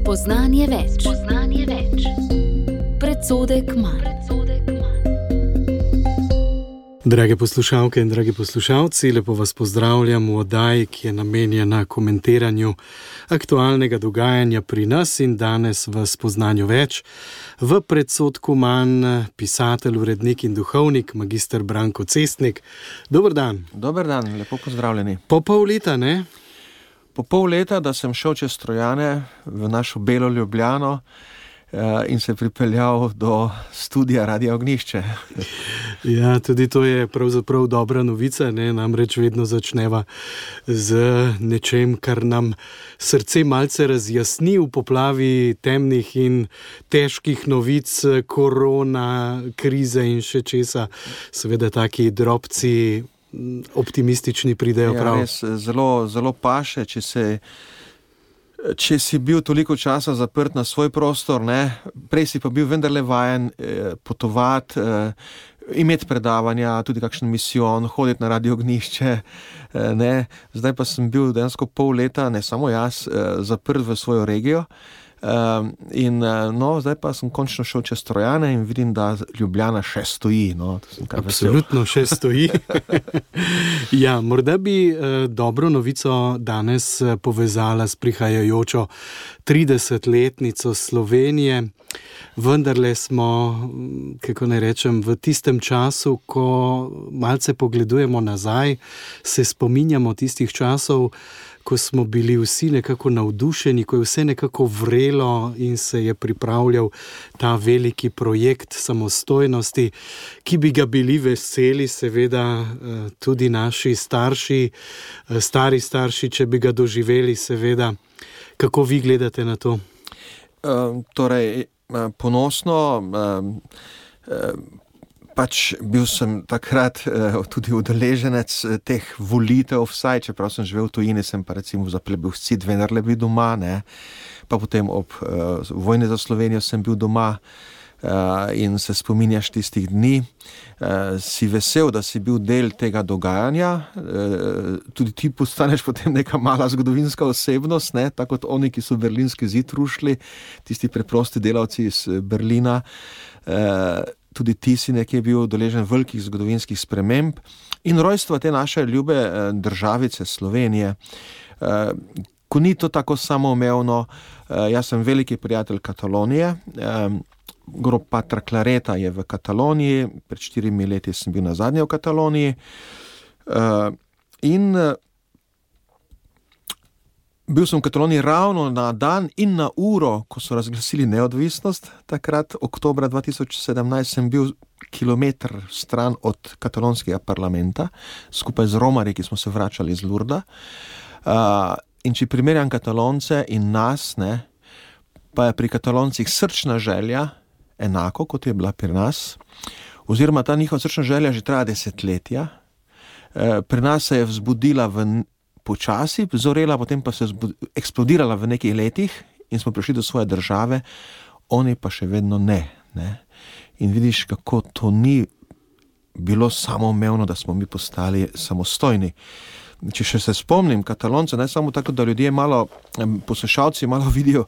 Spoznanje več. Predsodek manj. Drage poslušalke in dragi poslušalci, lepo vas pozdravljam v oddaji, ki je namenjena komentiranju aktualnega dogajanja pri nas in danes v Spoznanju več. V predsodku manj pisatelj, urednik in duhovnik, magister Branko Cestnik. Dober dan. Dober dan, lepo pozdravljeni. Po pol leta, ne? Po pol leta, da sem šel čez Trojane v našo belo Ljubljano in se pripeljal do studia Radia Ognjišče. Ja, tudi to je pravzaprav dobra novica, ne? Namreč vedno začneva z nečem, kar nam srce malce razjasni v poplavi temnih in težkih novic, korona, krize in še česa. Seveda taki drobci optimistični pridejo prav. Ja, res, zelo paše, če si bil toliko časa zaprt na svoj prostor, ne? Prej si pa bil vendarle vajen potovati, imeti predavanja, tudi kakšen misijon, hoditi na Radio Ognjišče, ne? Zdaj pa sem bil dejansko pol leta, ne samo jaz, zaprt v svojo regijo. Zdaj pa sem končno šel čez Trojane in vidim, da Ljubljana še stoji. Absolutno še stoji. Ja, morda bi dobro novico danes povezala s prihajajočo 30-letnico Slovenije. Vendarle smo, kako naj rečem, v tistem času, ko malce pogledujemo nazaj, se spominjamo tistih časov, ko smo bili vsi nekako navdušeni, ko je vse nekako vrelo in se je pripravljal ta veliki projekt samostojnosti, ki bi ga bili veseli, seveda tudi naši starši, stari starši, če bi ga doživeli, seveda. Kako vi gledate na to? Ponosno, bil sem takrat tudi udeleženec teh volitev, vsaj, čeprav sem živel v tujini, sem pa recimo za plebiscit vendarle bil doma, ne. Pa potem ob vojni za Slovenijo sem bil doma in se spominjaš tistih dni. Si vesel, da si bil del tega dogajanja, tudi ti postaneš potem neka mala zgodovinska osebnost, ne, tako kot oni, ki so berlinski zid rušili, tisti preprosti delavci iz Berlina. Tudi ti si nekje bil udeležen velikih zgodovinskih sprememb in rojstva te naše ljube državice Slovenije. Ko ni to tako samoumevno, jaz sem veliki prijatelj Katalonije, grob patra Clareta je v Kataloniji, pred 4 leti sem bil nazadnje v Kataloniji in bil sem v Kataloniji ravno na dan in na uro, ko so razglasili neodvisnost. Takrat, oktobra 2017, sem bil kilometer stran od katalonskega parlamenta, skupaj z Romarji, ki smo se vračali iz Lurda. In če primerjam Katalonce in nas, ne, pa je pri Kataloncih srčna želja enako, kot je bila pri nas, oziroma ta njihova srčna želja že traja desetletja. Pri nas se je vzbudila počasi, zorela, potem pa se eksplodirala v nekaj letih in smo prišli do svoje države, oni pa še vedno ne. In vidiš, kako to ni bilo samoumevno, da smo mi postali samostojni. Če še se spomnim Katalonce, ne samo tako, da ljudje poslušalci malo vidijo,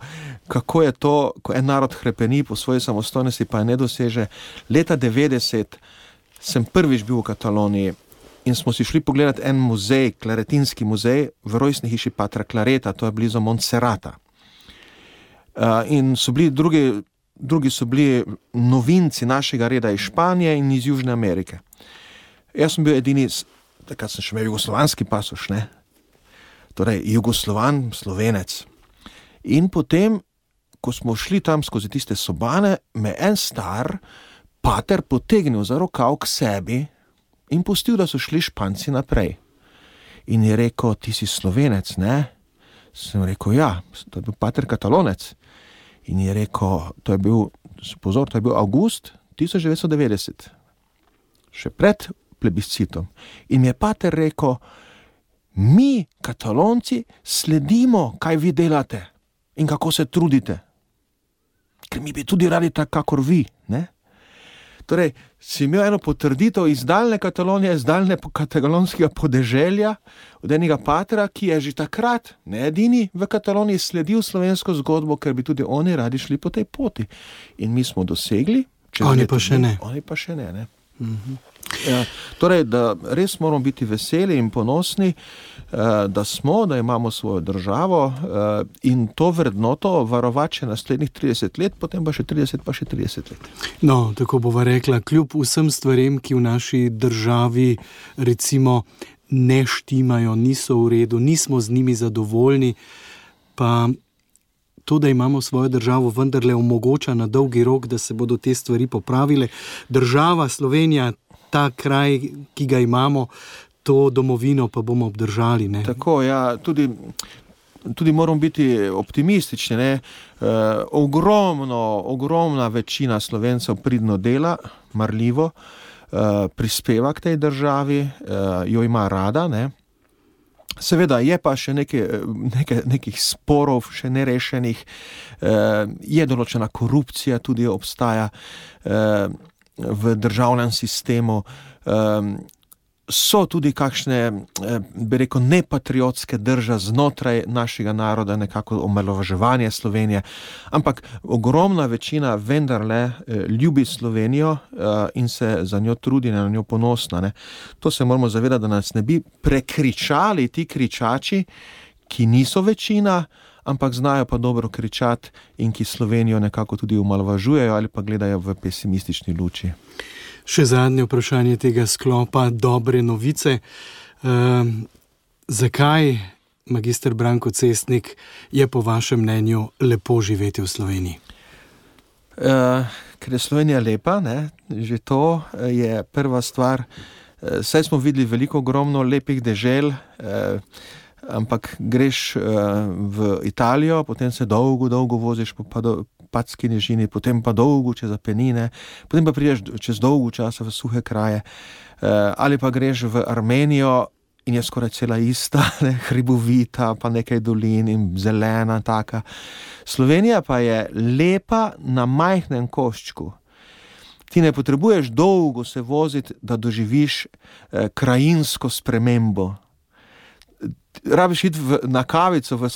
kako je to, ko en narod hrepeni po svoji samostojnosti, pa je ne doseže. Leta 90 sem prvič bil v Kataloniji in smo si šli pogledati en muzej, klaretinski muzej, v rojstni hiši patra Clareta, to je blizu Montserrata. In so bili drugi so bili novinci našega reda iz Španije in iz Južne Amerike. Jaz sem bil edini, takrat sem še imel jugoslovanski pasoš, ne? Torej, Jugoslovan, Slovenec. In potem, ko smo šli tam skozi tiste sobane, me en star pater potegnil za rokav k sebi in pustil, da so šli Španci naprej. In je rekel, ti si Slovenec, ne? Sem rekel, ja, to je bil pater Katalonec. In je rekel, to je bil avgust 1990, še pred plebiscitom. In mi je pater rekel, mi, Katalonci, sledimo, kaj vi delate in kako se trudite. Ker mi bi tudi radi tako, kakor vi, ne? Torej, si imel eno potrditev iz daljne Katalonije, iz daljne katalonskega podeželja, od enega patra, ki je že takrat, ne edini v Kataloniji, sledil slovensko zgodbo, ker bi tudi oni radi šli po tej poti. In mi smo dosegli. Oni pa še ne. Oni pa še ne. Ja, torej, da res moramo biti veseli in ponosni, da imamo svojo državo in to vrednoto varovati še naslednjih 30 let, potem pa še 30 let. No, tako bova rekla, kljub vsem stvarem, ki v naši državi recimo ne štimajo, niso v redu, nismo z njimi zadovoljni, pa to, da imamo svojo državo, vendarle omogoča na dolgi rok, da se bodo te stvari popravile. Država Slovenija, ta kraj, ki ga imamo, to domovino pa bomo obdržali. Ne? Tako, ja, tudi moramo biti optimistični. Ne? Ogromna večina Slovencev pridno dela, marljivo, prispeva k tej državi, jo ima rada, ne? Seveda je pa še nekih sporov, še nerešenih, je določena korupcija, tudi obstaja v državnem sistemu, so tudi kakšne, bi rekel, nepatriotske drže znotraj našega naroda, nekako omalovaževanje Slovenije, ampak ogromna večina vendarle ljubi Slovenijo in se za njo trudi, na njo ponosna. Ne. To se moramo zavedati, da nas ne bi prekričali ti kričači, ki niso večina, ampak znajo pa dobro kričati in ki Slovenijo nekako tudi omalovažujejo ali pa gledajo v pesimistični luči. Še zadnje vprašanje tega sklopa, dobre novice. Zakaj, magister Branko Cestnik, je po vašem mnenju lepo živeti v Sloveniji? Ker je Slovenija lepa, ne? Že to je prva stvar. Saj smo videli ogromno lepih dežel, ampak greš v Italijo, potem se dolgo voziš po Padski nižini, potem pa dolgo čez Apenine, potem pa prideš čez dolgo časa v suhe kraje, ali pa greš v Armenijo in je skoraj cela ista, ne, hribovita, pa nekaj dolin in zelena taka. Slovenija pa je lepa na majhnem koščku. Ti ne potrebuješ dolgo se voziti, da doživiš krajinsko spremembo. Rabiš iti na kavico v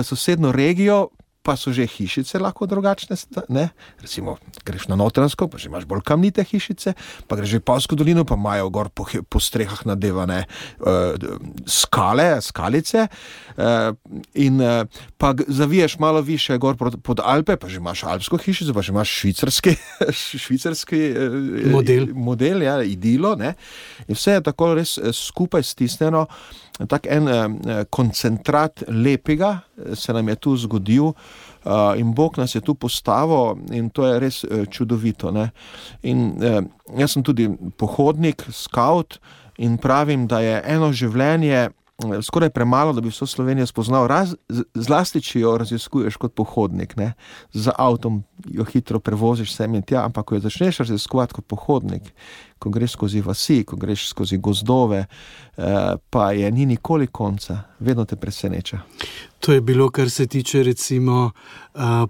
sosedno regijo, pa so že hišice lahko drugačne, ne? Recimo, greš na Notranjsko, pa že imaš bolj kamnite hišice, pa greš v Polsko dolino, pa imajo gor po strehah nadevane skalice, in pa zaviješ malo više gor pod Alpe, pa že imaš alpsko hišico, pa že imaš švicarski model, ja, idilo, ne? In vse je tako res skupaj stisnjeno, tak en koncentrat lepega se nam je tu zgodil, in Bog nas je tu postavil in to je res čudovito. Ne? In jaz sem tudi pohodnik, skavt in pravim, da je eno življenje skoraj premalo, da bi vso Slovenijo spoznal, zlasti, če jo raziskuješ kot pohodnik. Ne? Z avtom jo hitro prevoziš sem in tja, ampak ko jo začneš raziskovati kot pohodnik, ko greš skozi vasi, ko greš skozi gozdove, pa je ni nikoli konca, vedno te preseneča. To je bilo, kar se tiče recimo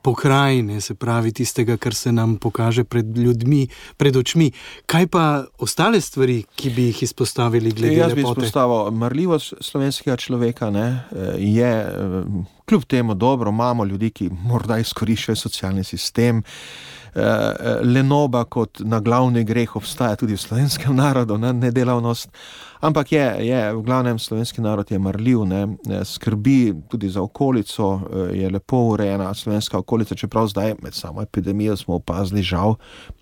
pokrajine, se pravi tistega, kar se nam pokaže pred ljudmi, pred očmi. Kaj pa ostale stvari, ki bi jih izpostavili glede lepote? Jaz bi izpostavil marljivost slovenskega človeka, ne, je kljub temu dobro, imamo ljudi, ki morda izkoriščajo socialni sistem, lenoba kot na glavni greh obstaja tudi v slovenskem narodu, nedelavnost, ampak je v glavnem slovenski narod je marljiv, ne, skrbi tudi za okolico, je lepo urejena slovenska okolica, čeprav zdaj med samo epidemijo smo opazili žal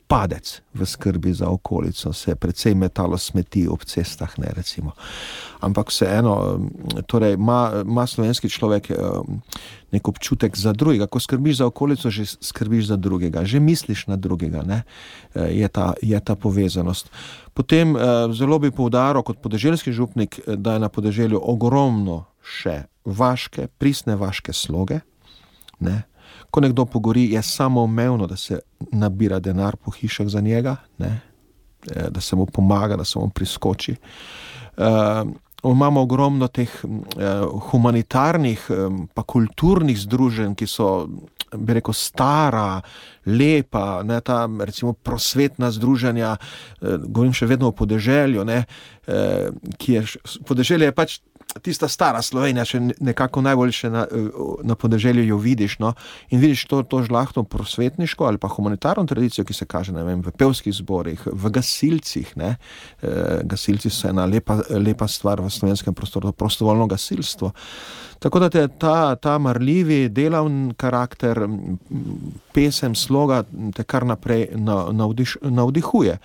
padec v skrbi za okolico, se precej metalo smeti ob cestah, ne, recimo. Ampak vseeno, torej ima slovenski človek nek občutek za drugega. Ko skrbiš za okolico, že skrbiš za drugega, že misliš na drugega, ne, je ta povezanost. Potem zelo bi poudaril kot podeželski župnik, da je na podeželju ogromno še pristne vaške sloge, ne. Ko nekdo pogori, je samoumevno, da se nabira denar po hišah za njega, ne? Da se mu pomaga, da se mu priskoči. Imamo ogromno teh humanitarnih pa kulturnih združenj, ki so bi rekel, stara, lepa, ne, ta recimo prosvetna združenja, govorim še vedno o podeželju, ne, podeželje je pač tista stara Slovenija, še nekako najbolj še na podeželju jo vidiš, no, in vidiš to žlahtno prosvetniško ali pa humanitarno tradicijo, ki se kaže, ne vem, v pevskih zborih, v gasilcih, ne, gasilci so ena lepa stvar v slovenskem prostoru, prostovoljno gasilstvo. Tako da ta marljivi, delavni karakter, pesem, sloga te kar naprej navdihuje.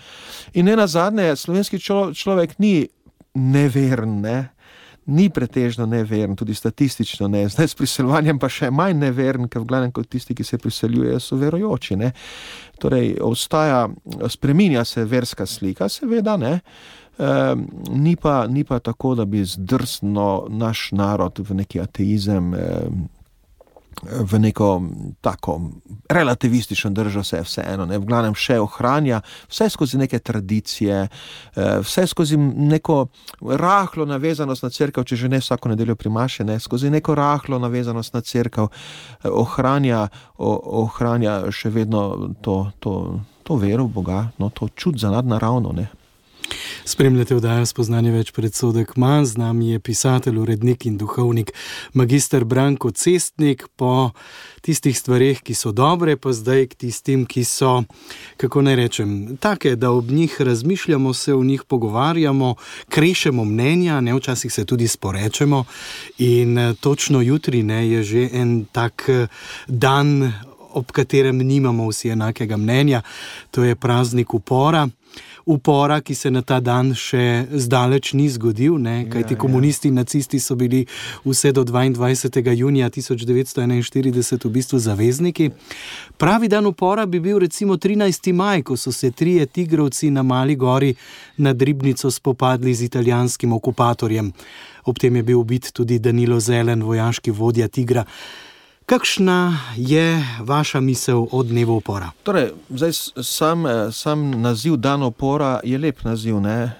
In nenazadnje, slovenski človek ni neveren, ne? Ni pretežno neveren, tudi statistično ne. Zdaj s priseljevanjem pa še manj neveren, ker v glavnem kot tisti, ki se priseljujejo, so verujoči, ne. Torej, spreminja se verska slika, seveda, ne. Ni pa tako, da bi zdrsnil naš narod v neki ateizem, v neko tako relativistično držo se vseeno, ne, v glavnem še ohranja vse skozi neke tradicije, vse skozi neko rahlo navezanost na cerkev, če že ne vsako nedeljo pri maši, ne, skozi neko rahlo navezanost na cerkev ohranja še vedno to vero v Boga, no, to čut za nadnaravno, ne. Spremljate oddajo Spoznanje več predsodek manj, z nami je pisatelj, urednik in duhovnik magister Branko Cestnik, po tistih stvareh, ki so dobre, pa zdaj k tistim, ki so, kako naj rečem, take, da ob njih razmišljamo, se o njih pogovarjamo, krešemo mnenja, ne, včasih se tudi sporečemo in točno jutri, ne, je že en tak dan, ob katerem nimamo vsi enakega mnenja, to je praznik upora, ki se na ta dan še zdaleč ni zgodil, ne, kajti komunisti in nacisti so bili vse do 22. junija 1941 v bistvu zavezniki. Pravi dan upora bi bil recimo 13. maj, ko so se 3 tigrovci na Mali gori nad Ribnico spopadli z italijanskim okupatorjem. Ob tem je bil ubit tudi Danilo Zelen, vojaški vodja Tigra. Kakšna je vaša misel o dnevu upora? Torej, zdaj sam naziv dan upora je lep naziv, ne?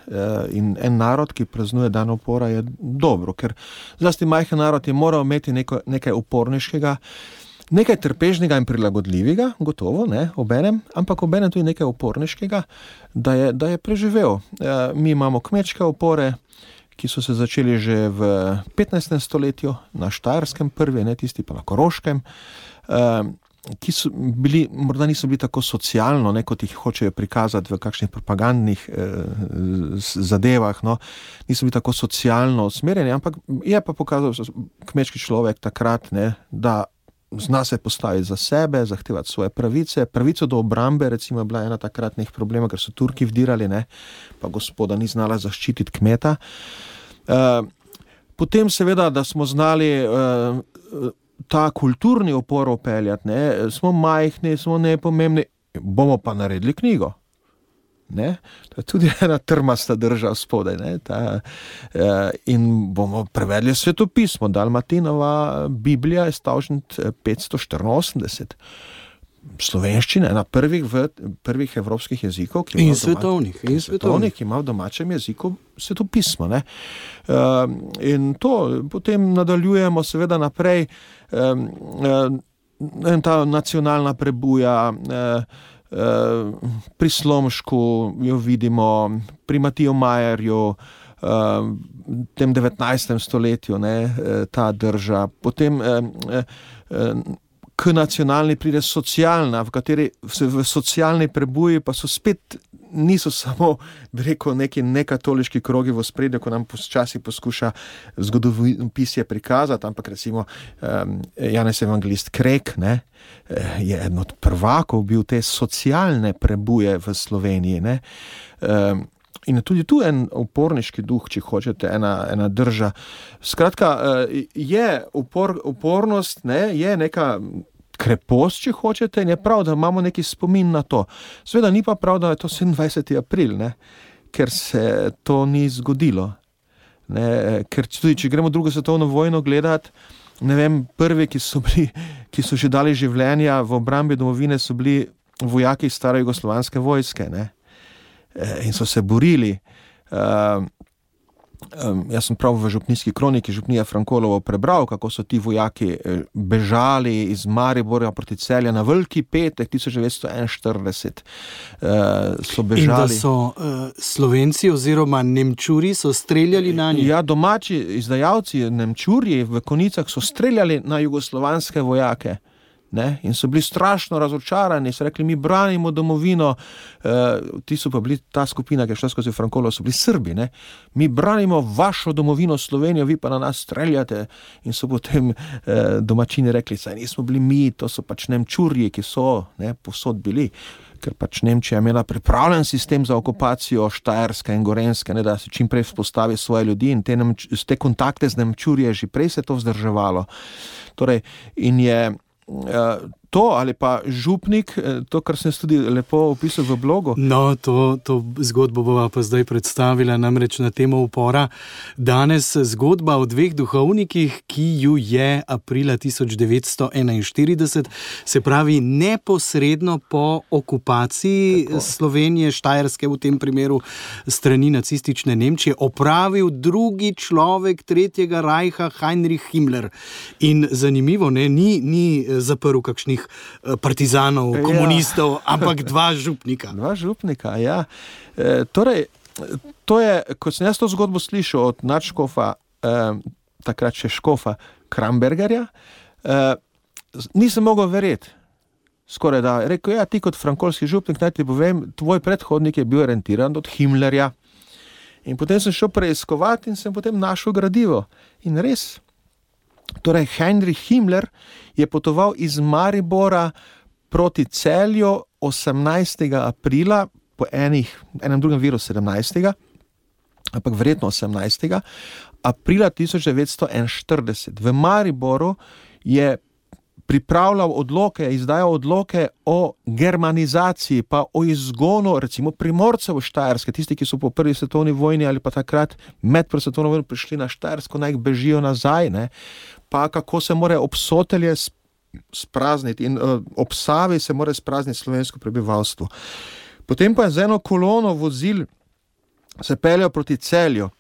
In en narod, ki praznuje dan upora, je dobro, ker zlasti majhen narod je moral imeti nekaj uporniškega, nekaj trpežnega in prilagodljivega, gotovo, ne, obenem, ampak obenem tudi nekaj uporniškega, da je preživel. Mi imamo kmečke upore, ki so se začeli že v 15. stoletju, na Štajerskem prvi, ne, tisti pa na Koroškem, ki so bili, morda niso bili tako socialno, ne, kot jih hočejo prikazati v kakšnih propagandnih zadevah, no, niso bili tako socialno usmerjeni, ampak je pa pokazal kmečki človek takrat, ne, da zna se postaviti za sebe, zahtevati svoje pravice. Pravico do obrambe, recimo, je bila ena takratnih problemov, ker so Turki vdirali, ne, pa gospoda ni znala zaščititi kmeta. Potem seveda, da smo znali ta kulturni upor upeljati, ne, smo majhni, smo nepomembni, bomo pa naredili knjigo. Ne? To je tudi ena trmasta drža spodaj, ne? In bomo prevedli svetopismo. Dalmatinova Biblija je stavžent 584. Slovenščina, ena prvih evropskih jezikov, ki ima v domačem jeziku svetopismo, ne? In to potem nadaljujemo seveda naprej, ta nacionalna prebuja, pri Slomšku jo vidimo, pri Matiju Majerju, v tem 19. stoletju, ne, ta drža. Potem k nacionalni pride socialna, v kateri v socialni prebuji pa so spet, niso samo, bi rekel, neki nekatoliški krogi v ospredju, ko nam počasi poskuša zgodovinopisje prikazati, ampak recimo Janez Evangelist Krek, ne, je eden od prvakov bil te socialne prebuje v Sloveniji, ne. In tudi tu en uporniški duh, če hočete, ena drža. Skratka, je upornost, ne, je neka krepost, če hočete, in je prav, da imamo neki spomin na to. Seveda ni pa prav, da je to 27. april, ne, ker se to ni zgodilo. Ne, ker tudi, če gremo drugo svetovno vojno gledati, ne vem, prvi, ki so že dali življenja v obrambi domovine, so bili vojaki stare jugoslovanske vojske, ne. In so se borili. Jaz sem prav v župnijski kroniki Župnija Frankolovo prebral, kako so ti vojaki bežali iz Maribora proti Celju na Veliki petek 1941. So bežali. In da so Slovenci oziroma Nemčuri so streljali na njih. Ja, domači izdajalci, Nemčurji v konicah so streljali na jugoslovanske vojake. Ne? In so bili strašno razočarani, so rekli, mi branimo domovino, ti so pa bili, ta skupina, ki je šla skozi Frankolovo, so bili Srbi, ne? Mi branimo vašo domovino Slovenijo, vi pa na nas streljate. In so potem domačini rekli, saj nismo bili mi, to so pač Nemčurji, ki so povsod bili, ker pač Nemčija imela pripravljen sistem za okupacijo Štajerske in Gorenjske, ne, da se čim prej vzpostavi svoje ljudi in te kontakte z Nemčurji že prej se to vzdrževalo. Torej, in je to ali pa župnik, to, kar sem tudi lepo opisal v blogu. No, to zgodbo bova pa zdaj predstavila, namreč na temo upora. Danes zgodba o dveh duhovnikih, ki ju je aprila 1941, se pravi neposredno po okupaciji Slovenije, Štajerske v tem primeru strani nacistične Nemčije, opravil drugi človek Tretjega rajha, Heinrich Himmler. In zanimivo, ni zaprl kakšnih partizanov, komunistov, ampak dva župnika. Dva župnika, ja. Torej, to je, ko sem jaz to zgodbo slišal od nadškofa, takrat še škofa Krambergerja, nisem mogel verjeti. Skoraj da. Rekel, ti kot frankolski župnik, naj ti povem, tvoj predhodnik je bil orientiran od Himmlerja. In potem sem šel preiskovati in sem potem našel gradivo. In res, torej Heinrich Himmler je potoval iz Maribora proti Celju 18. aprila, po enem drugem viru 17. ampak verjetno 18. aprila 1941. V Mariboru je pripravljal odloke, izdajal odloke o germanizaciji, pa o izgonu recimo Primorcev v Štajerske, tisti, ki so po prvi svetovni vojni ali pa takrat med prvo svetovno vojno prišli na Štajersko, naj bežijo nazaj, ne? Pa kako se more Obsotelje sprazniti in ob Savi se more sprazniti slovensko prebivalstvo. Potem pa je z eno kolono vozil se peljal proti Celju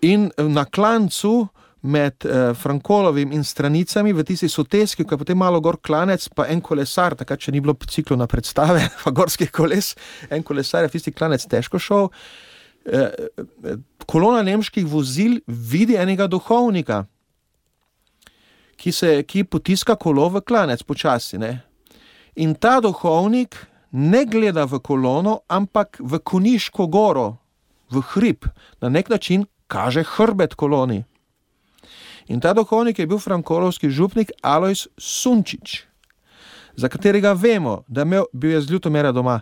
in na klancu med Frankolovim in Stranicami v tisti soteski, ko je potem malo gor klanec, pa en kolesar, takrat še ni bilo ciklona predstave, pa gorskih koles, en kolesar je v tisti klanec težko šel, kolona nemških vozil vidi enega duhovnika, ki potiska kolo v klanec počasi, ne. In ta duhovnik ne gleda v kolono, ampak v Koniško goro, v hrib, na nek način kaže hrbet koloni. In ta duhovnik je bil frankolovski župnik Alojz Sunčič, za katerega vemo, da bil je z Ljutomera doma,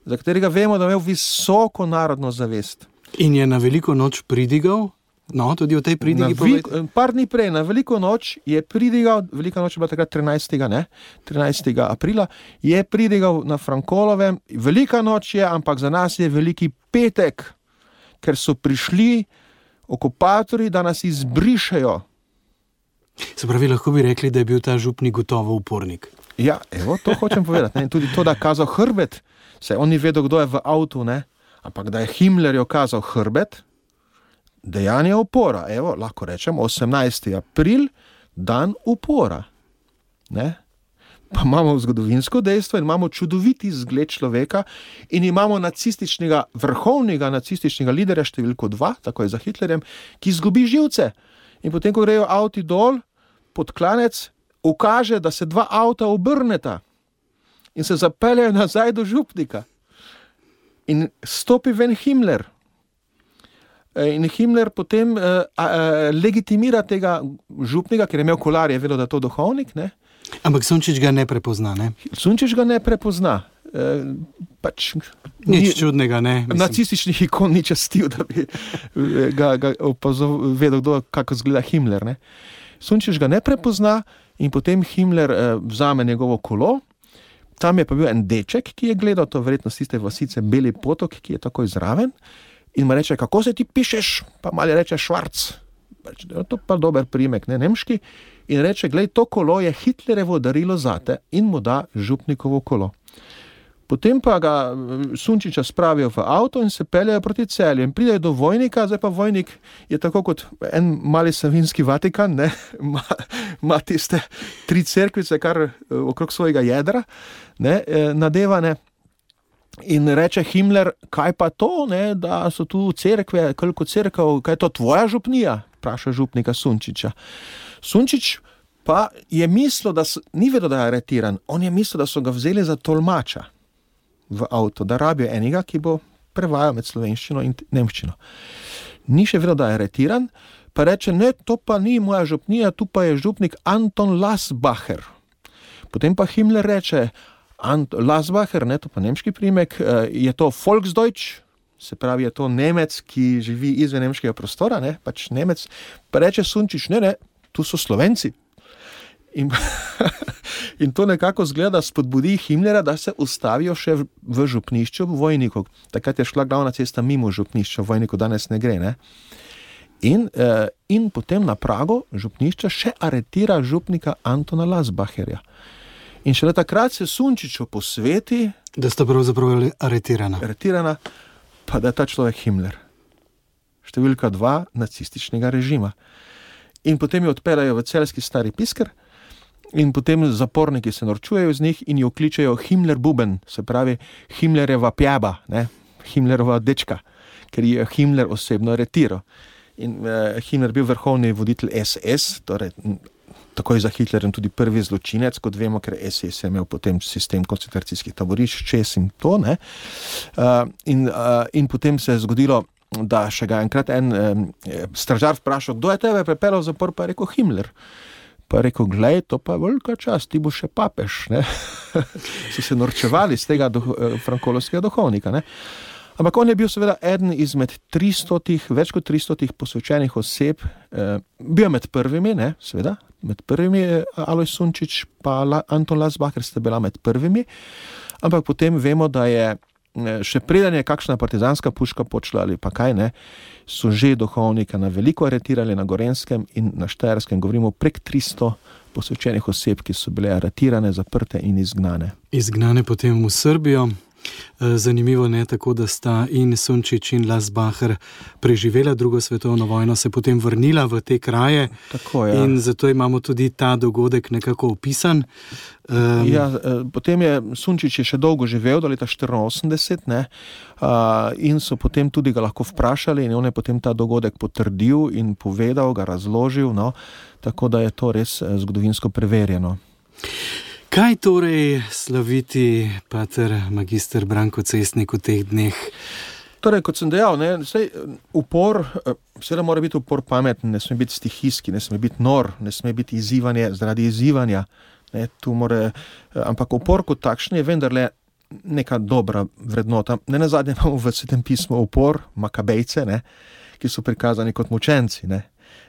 za katerega vemo, da je imel visoko narodno zavest. In je na veliko noč pridigal? No, tudi o tej pridigi povedati. Par dni prej, na veliko noč je pridigal, velika noč je bila takrat 13. aprila, je pridigal na Frankolovem, velika noč je, ampak za nas je veliki petek, ker so prišli okupatorji, da nas izbrišejo. Se pravi, lahko bi rekli, da je bil ta župnik gotovo upornik. Ja, evo, to hočem povedati. Ne? In tudi to, da je kazal hrbet, se on ni vedel, kdo je v avtu, ne? Ampak da je Himmlerju kazal hrbet, dejanje upora. Evo, lahko rečem, 18. april, dan upora. Ne? Pa imamo zgodovinsko dejstvo in imamo čudoviti zgled človeka in imamo vrhovnega nacističnega liderja številko 2, tako je za Hitlerjem, ki izgubi živce. In potem, ko grejo avti dol, pod klanec, ukaže, da se dva avta obrneta in se zapeljajo nazaj do župnika. In stopi ven Himmler. In Himmler potem legitimira tega župnika, ker je imel kolar, je vedel, da je to duhovnik, ne? Ampak Sunčič ga ne prepozna, ne? Sunčič ga ne prepozna. Nič čudnega, ne? Nacističnih ikon ni častil, da bi ga vedel, kako zgleda Himmler, ne? Sunčič ga ne prepozna in potem Himmler vzame njegovo kolo. Tam je pa bil en deček, ki je gledal to verjetno z tiste vasice Beli potok, ki je takoj zraven in mu reče, kako se ti pišeš? Pa malo reče Švarc. To pa dober priimek, ne, nemški. In reče, glej, to kolo je Hitlerjevo darilo zate in mu da župnikovo kolo. Potem pa ga Sunčiča spravijo v avto in se peljajo proti Celju. In pridejo do Vojnika, zdaj pa Vojnik je tako kot en mali savinski Vatikan, ne? Ima tiste 3 cerkvice, kar okrog svojega jedra, ne? Nadevane. In reče Himmler, kaj pa to, ne? Da so tu cerkve, koliko cerkev, kaj je to tvoja župnija? Vpraša župnika Sunčiča. Sunčič pa je mislil, ni vedel, da je aretiran, on je mislil, da so ga vzeli za tolmača v avto, da rabijo enega, ki bo prevajal med slovenščino in nemščino. Ni še vedel, da je aretiran, pa reče, ne, to pa ni moja župnija, tu pa je župnik Anton Lasbacher. Potem pa Himmler reče, Lasbacher, ne, to pa nemški priimek, je to Volksdeutsch, se pravi, je to Nemec, ki živi izven nemškega prostora, ne, pač Nemec, pa reče Sunčič, ne, tu so Slovenci. In to nekako zgleda spodbudi Himmlera, da se ustavijo še v župnišču v Vojniku. Takrat je šla glavna cesta mimo župnišča, v Vojniku danes ne gre, ne? In potem na pragu župnišča še aretira župnika Antona Lasbacherja. In šele takrat se Sunčiču posveti, da sta pravzaprav aretirana, pa da je ta človek Himmler. Številka 2 nacističnega režima. In potem jo odpeljajo v celjski Stari Pisker, in potem zaporniki se norčujejo z njih in jo kličejo Himmler Buben, se pravi Himmlerjeva pjaba, ne? Himmlerova dečka, ker je Himmler osebno aretiral. In Himmler bil vrhovni voditelj SS, torej takoj za Hitlerjem tudi prvi zločinec, kot vemo, ker SS je imel potem sistem koncentracijskih taborišč, čez in to, ne? In potem se je zgodilo, da še ga enkrat en stražar vprašal, kdo je tebe pripeljal v zapor, pa je rekel Himmler. Pa je rekel, glej, to pa je velika čast, ti bo še papež, ne? So se norčevali z tega frankolovskega duhovnika, ne? Ampak on je bil seveda eden izmed 300, več kot 300 posvečenih oseb, bil med prvimi, ne, seveda, med prvimi Alojz Sunčič pa Anton Lasbacher sta bila med prvimi, ampak potem vemo, da je še preden je kakšna partizanska puška počela ali pa kaj, ne, so že duhovnika na veliko aretirali na Gorenskem in na Štajerskem, govorimo prek 300 posvečenih oseb, ki so bile aretirane, zaprte in izgnane. Izgnane potem v Srbijo. Zanimivo ne, tako da sta in Sunčič in Lasbacher preživela drugo svetovno vojno, se potem vrnila v te kraje. Tako, ja. In zato imamo tudi ta dogodek nekako opisan. Potem je Sunčič še dolgo živel, do leta 1984, ne, in so potem tudi ga lahko vprašali in on je potem ta dogodek potrdil in povedal, ga razložil, no, tako da je to res zgodovinsko preverjeno. Kaj torej slaviti pater magister Branko Cestnik v teh dneh? Torej, kot sem dejal, ne, upor, seveda mora biti upor pameten, ne sme biti stihijski, ne sme biti nor, ne sme biti izzivanje zaradi izzivanja, ne, ampak upor kot takšen je vendarle neka dobra vrednota. Ne nazadnje imamo v Svetem pismu upor, Makabejce, ne, ki so prikazani kot mučenci, ne.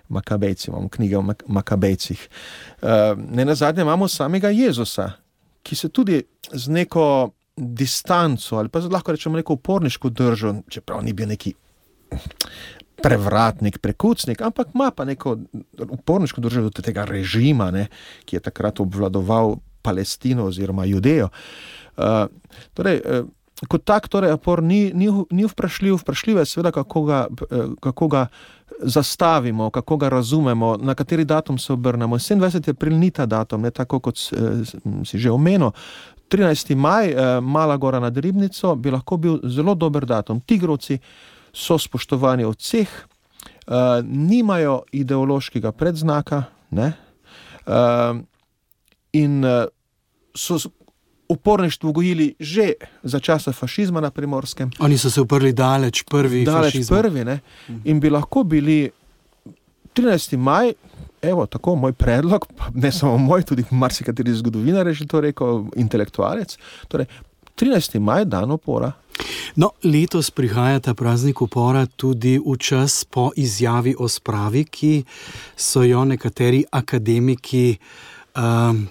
Makabejci, imamo knjige o Makabejcih. Ne nazadnje imamo samega Jezusa, ki se tudi z neko distanco, ali pa lahko rečemo neko uporniško držo, čeprav ni bil neki prevratnik, prekucnik, ampak ima pa neko uporniško držo do tega režima, ne, ki je takrat obvladoval Palestino oziroma Judejo. Kot tak, torej, upor ni vprašljiv, vprašljivo je seveda, kako ga zastavimo, kako ga razumemo, na kateri datum se obrnemo. 27. april ni ta datum, ne, tako kot si že omenil. 13. maj, Mala gora nad Ribnico, bi lahko bil zelo dober datum. Tigrovci so spoštovani od vseh, nimajo ideološkega predznaka, ne, in so uporništvo gojili že za časa fašizma na Primorskem. Oni so se uprli daleč prvi fašizmu. Ne? In bi lahko bili 13. maj, evo, tako moj predlog, ne samo moj, tudi marsikateri zgodovinar je že to rekel, intelektualec, torej 13. maj, dan upora. No, letos prihaja ta praznik upora tudi v čas po izjavi o spravi, ki so jo nekateri akademiki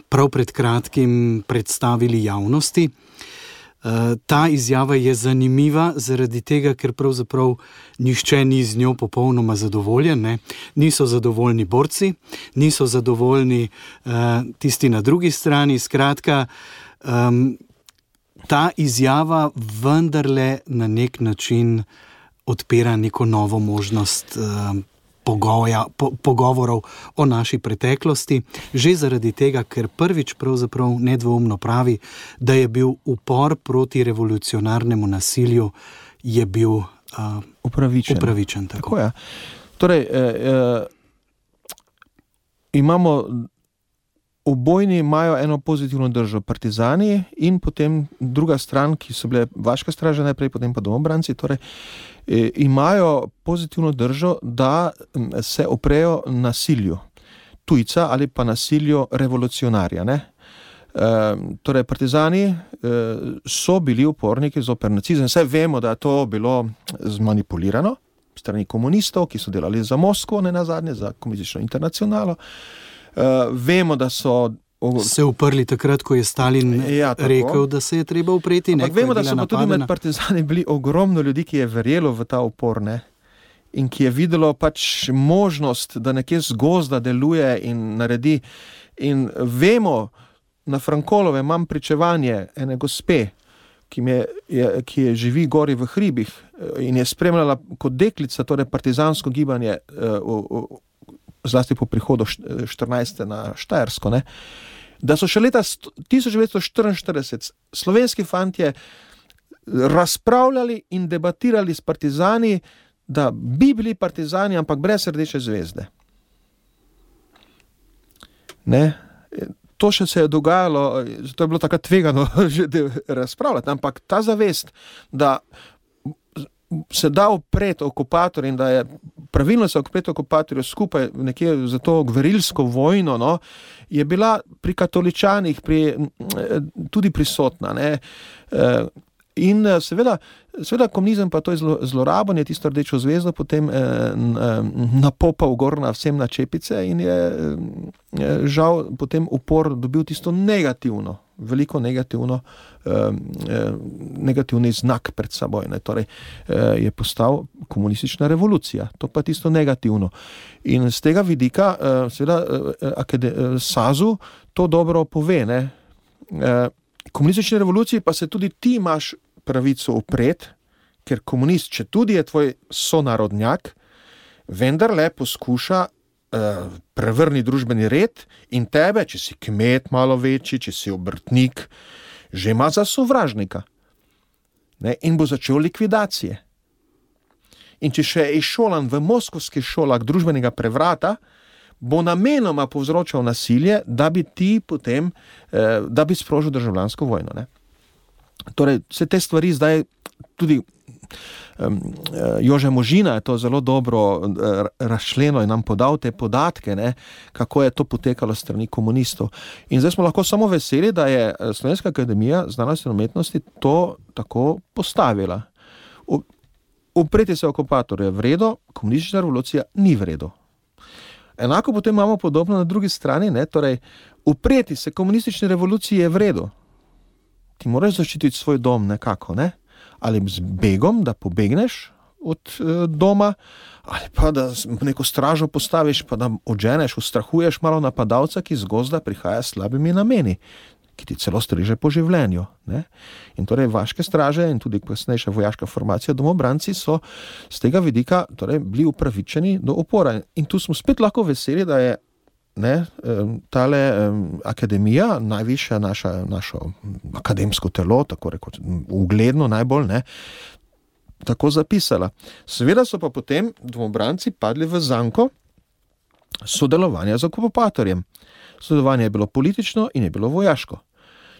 prav pred kratkim predstavili javnosti. Ta izjava je zanimiva zaradi tega, ker pravzaprav nihče ni z njo popolnoma zadovoljen, ne? Niso zadovoljni borci, niso zadovoljni tisti na drugi strani, skratka, ta izjava vendarle na nek način odpira neko novo možnost pogovorov o naši preteklosti, že zaradi tega, ker prvič pravzaprav nedvoumno pravi, da je bil upor proti revolucionarnemu nasilju je bil upravičen. Tako je. Torej, imamo obojni imajo eno pozitivno držo, partizani in potem druga stran, ki so bile vaška straža najprej, potem pa domobranci, torej imajo pozitivno držo, da se oprejo nasilju tujca ali pa nasilju revolucionarja, ne? Torej, partizani so bili uporniki zoper nacizem. Saj vemo, da je to bilo zmanipulirano strani komunistov, ki so delali za Moskvo, ne nazadnje, za komunistično internacionalo. Vemo, da so se uprli takrat, ko je Stalin rekel, da se je treba upreti. Ampak vemo, da so pa tudi med partizani bili ogromno ljudi, ki je verjelo v ta upor, ne? In ki je videlo pač možnost, da nekje z gozda deluje in naredi. In vemo, na Frankolove imam pričevanje ene gospe, ki je živi gori v hribih in je spremljala kot deklica, torej partizansko gibanje zlasti po prihodu 14. na Štajersko, ne, da so še leta 1944 slovenski fantje razpravljali in debatirali s partizani, da bi bili partizani, ampak brez rdeče zvezde. Ne? To še se je dogajalo, to je bilo takrat tvegano že razpravljati, ampak ta zavest, da se da upreti okupator in da je pravilno se upreti okupatorju skupaj nekje za to gverilsko vojno, no, je bila pri katoličanih tudi prisotna, ne. In seveda komunizem pa to je zloraben, je tisto rdečo zvezdo potem napopal gor na vsem na čepice in je žal potem upor dobil tisto negativno, veliko negativni znak pred seboj, ne. Torej je postal komunistična revolucija, to pa tisto negativno. In z tega vidika seveda SAZU to dobro pove, ne. Komunistični revoluciji pa se tudi ti imaš pravico upret, ker komunist, če tudi je tvoj sonarodnjak, vendarle poskuša prevrniti družbeni red in tebe, če si kmet malo večji, če si obrtnik, že ima za sovražnika. Ne? In bo začel likvidacije. In če še je izšolan v moskovskih šolah družbenega prevrata, bo namenoma povzročal nasilje, da bi ti potem, da bi sprožil državljansko vojno, ne. Torej, vse te stvari zdaj tudi Jože Možina je to zelo dobro razčlenil in nam podal te podatke, ne, kako je to potekalo strani komunistov. In zdaj smo lahko samo veseli, da je Slovenska akademija znanosti in umetnosti to tako postavila. Upreti se okupatorju je v redu, komunistična revolucija ni v redu. Enako potem imamo podobno na drugi strani, ne, torej upreti se komunistični revoluciji je v redu. Ti moraš zaščititi svoj dom nekako, ne? Ali z begom, da pobegneš od doma, ali pa da neko stražo postaviš, pa da odženeš, ustrahuješ malo napadalca, ki z gozda prihaja s slabimi nameni, ki ti celo striže po življenju, ne? In torej vaške straže in tudi kasnejša vojaška formacija domobranci so z tega vidika torej bili upravičeni do upora. In tu smo spet lahko veseli, da je tale akademija, najvišja našo akademsko telo, tako rekoč ugledno najbolj, ne, tako zapisala. Seveda so pa potem domobranci padli v zanko sodelovanja z okupatorjem. Sodelovanje je bilo politično in je bilo vojaško.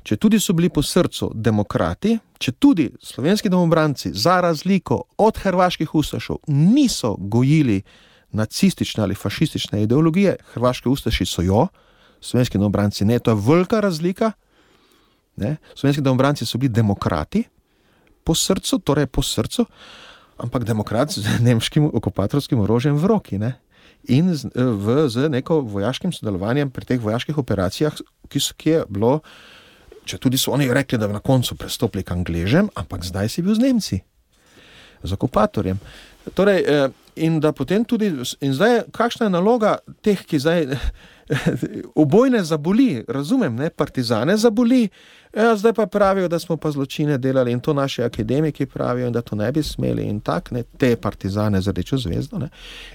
Če tudi so bili po srcu demokrati, če tudi slovenski domobranci za razliko od hrvaških ustašov niso gojili nacistične ali fašistične ideologije, hrvaški ustaši so jo, slovenski domobranci ne, to je velika razlika, ne? Slovenski domobranci so bili demokrati po srcu, torej po srcu, ampak demokrati z nemškim okupatorskim orožjem v roki, ne? In z neko vojaškim sodelovanjem pri teh vojaških operacijah, ki je bilo, če tudi so oni rekli, da bi na koncu prestopili k Angležem, ampak zdaj si bil z Nemci, z okupatorjem. Torej, in da potem tudi, in zdaj, kakšna je naloga teh, ki zdaj obojne zaboli, razumem, ne, partizane zaboli, zdaj pa pravijo, da smo pa zločine delali in to naši akademiki pravijo in da to ne bi smeli in tak, ne, te partizane z rdečo zvezdo, ne,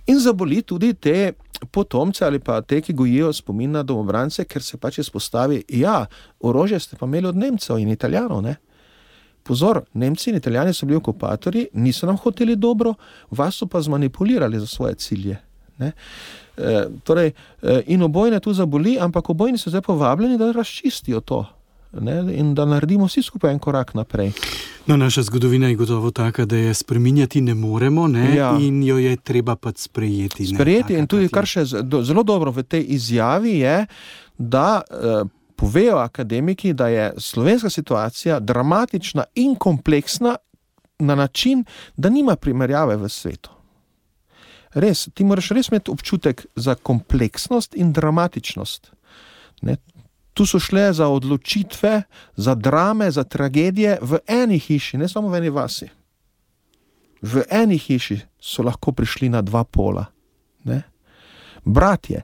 in zaboli tudi te potomce ali pa te, ki gojijo spomin na domobrance, ker se pač izpostavi, ja, orožje ste pa imeli od Nemcev in Italijanov, ne. Pozor, Nemci in Italijani so bili okupatorji, niso nam hoteli dobro, vas so pa zmanipulirali za svoje cilje, ne. Torej, in obojne tu zaboli, ampak obojni so zdaj povabljeni, da razčistijo to, ne, in da naredimo vsi skupaj en korak naprej. No, naša zgodovina je gotovo taka, da je spreminjati ne moremo, ne, ja. In jo je treba pač sprejeti. Sprejeti, ne, in tudi kar še zelo dobro v tej izjavi je, da povejo akademiki, da je slovenska situacija dramatična in kompleksna na način, da nima primerjave v svetu. Res, ti moraš res imeti občutek za kompleksnost in dramatičnost. Ne? Tu so šle za odločitve, za drame, za tragedije v eni hiši, ne samo v eni vasi. V eni hiši so lahko prišli na dva pola. Ne? Bratje.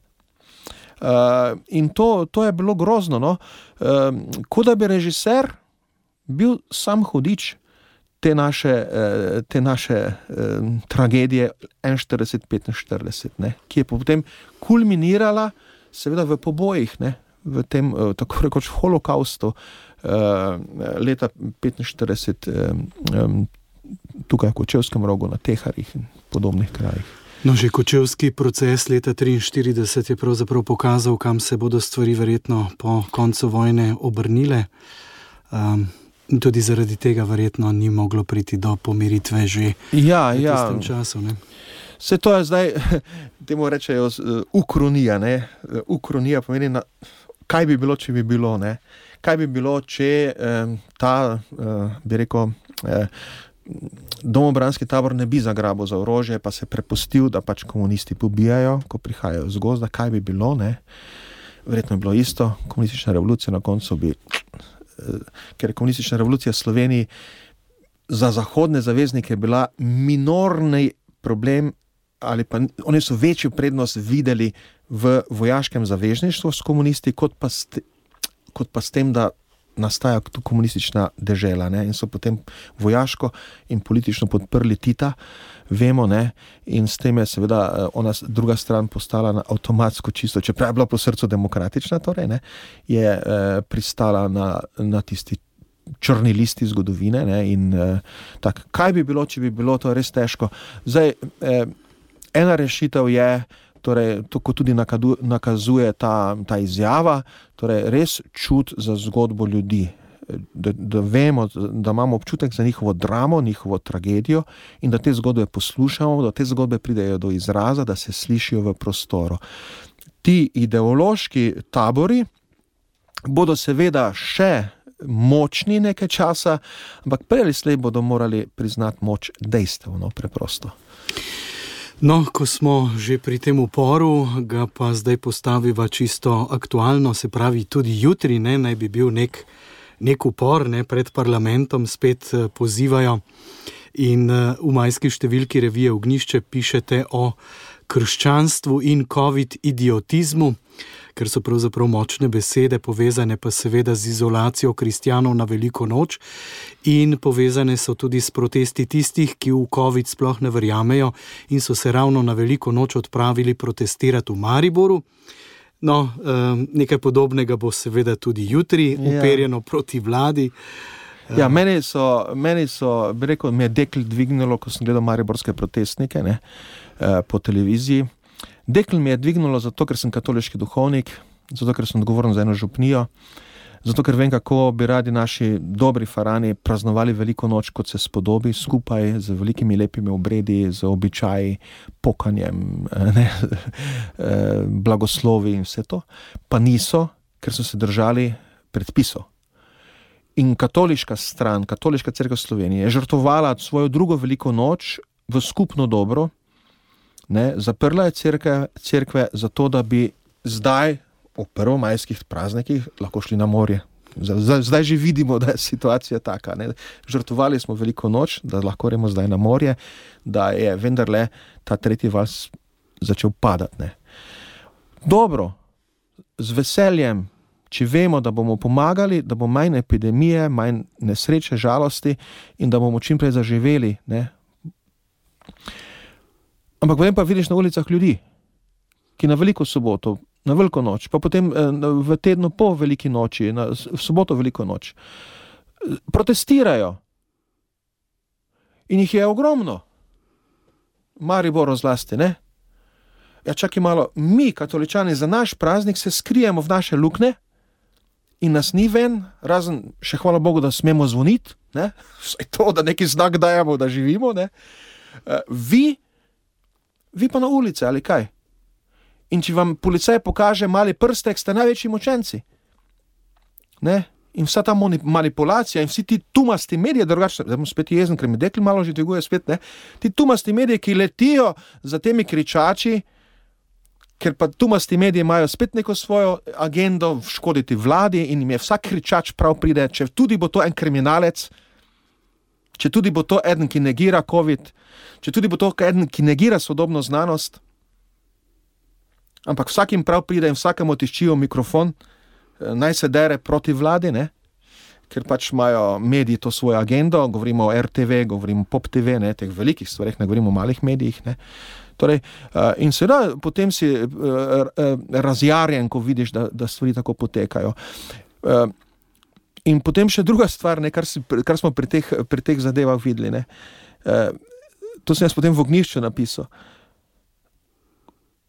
In to je bilo grozno. No? Kot da bi režiser bil sam hudič te naše tragedije 41-45, ne, ki je potem kulminirala seveda v pobojih, ne, v tem tako rekoč holokaustu leta 45 tukaj v Kočevskem Rogu, na Teharjih in podobnih krajih. No, že Kočevski proces leta 1943 je pravzaprav pokazal, kam se bodo stvari verjetno po koncu vojne obrnile. In tudi zaradi tega verjetno ni moglo priti do pomiritve že v tistem času. Ne? Se to je zdaj, temu rečejo, ukronija. Ne? Ukronija pomeni, kaj bi bilo, če bi bilo. Ne? Kaj bi bilo, če bi rekel, domobranski tabor ne bi zagrabil za orožje, pa se prepustil, da pač komunisti pobijajo, ko prihajajo z gozda. Kaj bi bilo? Ne? Verjetno je bilo isto. Komunistična revolucija na koncu bi... Ker je komunistična revolucija v Sloveniji za zahodne zaveznike bila minorni problem, ali pa oni so večjo prednost videli v vojaškem zavezništvu s komunisti, kot pa s tem, da nastaja tu komunistična dežela, ne? In so potem vojaško in politično podprli Tita, vemo, ne? In s tem je seveda ona druga stran postala na avtomatsko čisto, čeprav je bila po srcu demokratična, torej, ne? Je pristala na tisti črni listi zgodovine, ne? In tak, kaj bi bilo, če bi bilo, to res težko. Zdaj, ena rešitev je, torej, to, ko tudi nakazuje ta izjava, torej res čut za zgodbo ljudi, da vemo, da imamo občutek za njihovo dramo, njihovo tragedijo in da te zgodbe poslušamo, da te zgodbe pridejo do izraza, da se slišijo v prostoru. Ti ideološki tabori bodo seveda še močni nekaj časa, ampak prej ali slej bodo morali priznati moč dejstev, no, preprosto. No, ko smo že pri tem uporu, ga pa zdaj postaviva čisto aktualno, se pravi tudi jutri, ne, naj bi bil nek upor, ne, pred parlamentom spet pozivajo in v majski številki revije Ognjišče pišete o krščanstvu in covid-idiotizmu, ker so pravzaprav močne besede, povezane pa seveda z izolacijo kristjanov na Veliko noč in povezane so tudi s protesti tistih, ki v covid sploh ne verjamejo in so se ravno na Veliko noč odpravili protestirati v Mariboru. No, nekaj podobnega bo seveda tudi jutri, uperjeno proti vladi. Ja, meni so, bi rekel, mi je dekl dvignilo, ko sem gledal mariborske protestnike, ne, po televiziji. Dekl mi je dvignilo zato, ker sem katoliški duhovnik, zato, ker sem odgovoren za eno župnijo, zato, ker vem, kako bi radi naši dobri farani praznovali Veliko noč, kot se spodobi, skupaj z velikimi lepimi obredi, z običaji, pokanjem, ne, blagoslovi in vse to. Pa niso, ker so se držali predpisov. In katoliška stran, katoliška cerkev Slovenije je žrtvovala svojo drugo Veliko noč v skupno dobro. Ne, zaprla je cerkve zato, da bi zdaj v prvomajskih praznikih lahko šli na morje. Zdaj že vidimo, da je situacija taka. Ne. Žrtvovali smo Veliko noč, da lahko gremo zdaj na morje, da je vendarle ta tretji val začel padati. Ne. Dobro, z veseljem, če vemo, da bomo pomagali, da bo manj epidemije, manj nesreče, žalosti in da bomo čim prej zaživeli. Ne? Ampak potem pa vidiš na ulicah ljudi, ki na veliko soboto, na veliko noč, pa potem v tednu po veliki noči, v soboto veliko noč, protestirajo. In jih je ogromno. Mariboru zlasti, ne? Ja, čakaj malo, mi, katoličani, za naš praznik se skrijemo v naše lukne in nas ni ven, razen še hvala Bogu, da smemo zvoniti, ne? Vsaj to, da neki znak dajemo, da živimo, ne? Vi pa na ulice, ali kaj? In če vam policaj pokaže mali prstek, ste največji močenci. Ne? In vsa ta manipulacija in vsi ti tumasti mediji, drugače, zdaj bom spet jezen, ker mi dekli malo že dviguje spet, ne? Ti tumasti mediji, ki letijo za temi kričači, ker pa tumasti mediji imajo spet neko svojo agendo škoditi vladi in jim je vsak kričač prav pride, če tudi bo to en kriminalec, če tudi bo to eden, ki negira COVID, če tudi bo to eden, ki negira sodobno znanost, ampak vsakim prav pride in vsakemu tiščijo mikrofon, naj se dere proti vladi, ne? Ker pač imajo mediji to svojo agendo, govorimo o RTV, govorimo o Pop TV, ne? Teh velikih stvareh, ne govorimo o malih medijih, ne? Torej, in seveda potem si razjarjen, ko vidiš, da stvari tako potekajo. In potem še druga stvar, ne, kar smo pri teh zadevah videli, ne? To sem jaz potem v Ognjišču napisal.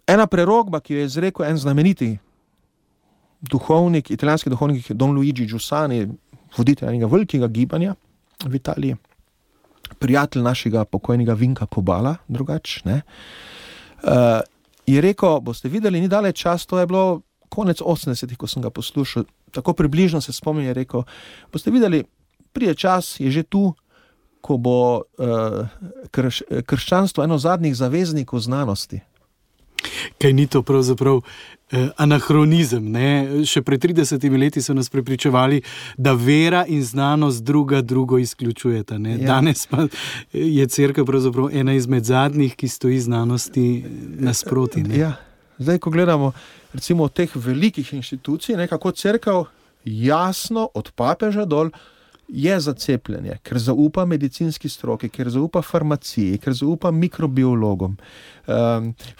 Ena prerokba, ki jo je izrekel en znameniti duhovnik, italijanski duhovnik Don Luigi Giussani, voditelj enega velikega gibanja v Italiji, prijatelj našega pokojnega Vinka Kobala, drugač, ne, je rekel, boste videli, ni daleč čas, to je bilo konec 80-ih, ko sem ga poslušal, tako približno se spomnim, je rekel, boste videli, pride čas, je že tu, ko bo krščanstvo eno zadnjih zaveznikov znanosti. Kaj ni to pravzaprav anahronizem, ne? Še pred 30 leti so nas prepričevali, da vera in znanost drugo izključujeta, ne? Ja. Danes pa je cerkev pravzaprav ena izmed zadnjih, ki stoji znanosti nasproti, ne? Ja. Zdaj, ko gledamo recimo teh velikih inštitucij, kako cerkev jasno od papeža dol je za cepljenje, ker zaupa medicinski stroki, ker zaupa farmaciji, ker zaupa mikrobiologom,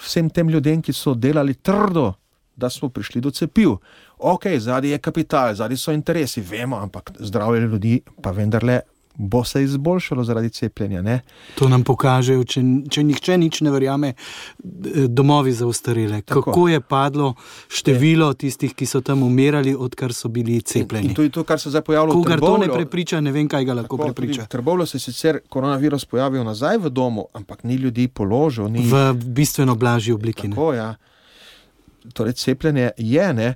vsem tem ljudem, ki so delali trdo, da smo prišli do cepiv. Ok, zadnji je kapital, zadnji so interesi, vemo, ampak zdravje ljudi pa vendarle bo se izboljšalo zaradi cepljenja, ne? To nam pokažejo, če nihče nič ne verjame, domovi za ostarele. Kako je padlo število tistih, ki so tam umirali, odkar so bili cepljeni. In to je to, kar se zdaj pojavilo v Trbovlju. Kogar to ne prepriča, ne vem, kaj ga lahko prepriča. V Trbovlju se sicer koronavirus pojavil nazaj v domu, ampak ni ljudi položil. V bistveno blažji obliki. Tako, ja. Torej, cepljenje je, ne?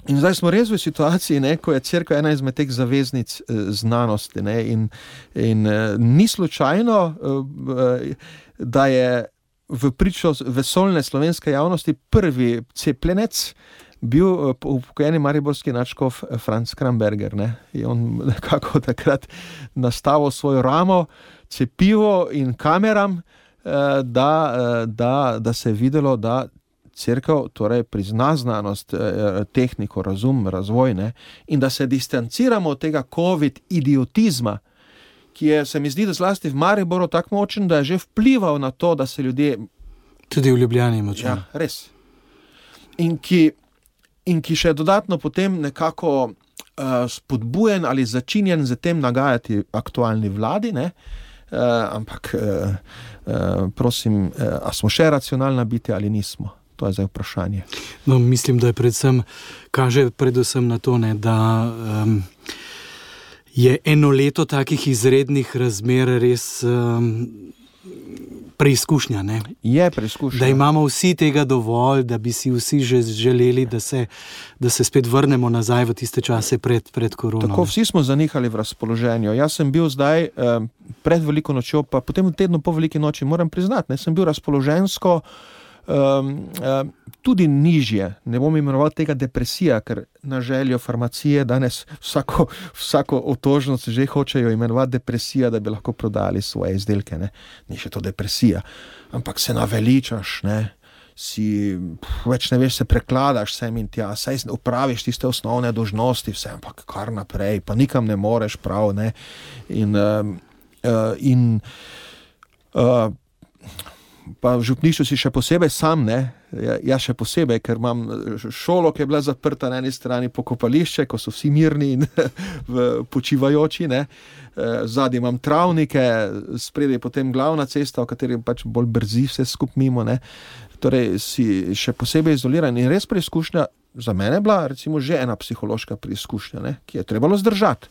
In zdaj smo res v situaciji, ne, ko je cerkev ena izmed teh zaveznic znanosti, ne, in ni slučajno, da je v pričo vesoljne slovenske javnosti prvi cepljenec bil upokojeni mariborski nadškof Franc Kramberger, ne. Je on nekako takrat nastavil svojo ramo, cepivo in kameram, da se je videlo, da cerkev torej prizna znanost, tehniko, razum, razvoj, ne? In da se distanciramo od tega COVID-idiotizma, ki je, se mi zdi, da zlasti v Mariboru tako močen, da je že vplival na to, da se ljudje... Tudi v Ljubljani močen. Ja, res. In ki še dodatno potem nekako spodbujen ali začinjen z tem nagajati aktualni vladi, ne? Ampak prosim, a smo še racionalna biti ali nismo? To je zdaj vprašanje. No, mislim, da kaže predvsem na to, ne, da je eno leto takih izrednih razmer res preizkušnja, ne? Je preizkušnja. Da imamo vsi tega dovolj, da bi si vsi že želeli, da se spet vrnemo nazaj v tiste čase pred korono. Tako, vsi smo zanihali v razpoloženju. Jaz sem bil zdaj pred veliko nočjo, pa potem v tednu po veliki noči, moram priznati, ne, sem bil razpoloženjsko tudi nižje, ne bom imenoval tega depresija, ker na željo farmacije danes vsako otožnost že hočejo imenovati depresija, da bi lahko prodali svoje izdelke, ne. Ni še to depresija, ampak se naveličaš, ne. več ne veš, se prekladaš sem in tja, saj opraviš tiste osnovne dolžnosti, vse, ampak kar naprej, pa nikam ne moreš prav, ne. Pa v župništvu si še posebej sam, ne, ja še posebej, ker imam šolo, ki je bila zaprta na eni strani, pokopališče, ko so vsi mirni in počivajoči, ne, zadnji imam travnike, spredaj potem glavna cesta, v kateri pač bolj brzi vse skup mimo, ne, torej si še posebej izoliran in res preizkušnja za mene bila recimo že ena psihološka preizkušnja, ne, ki je trebalo zdržati.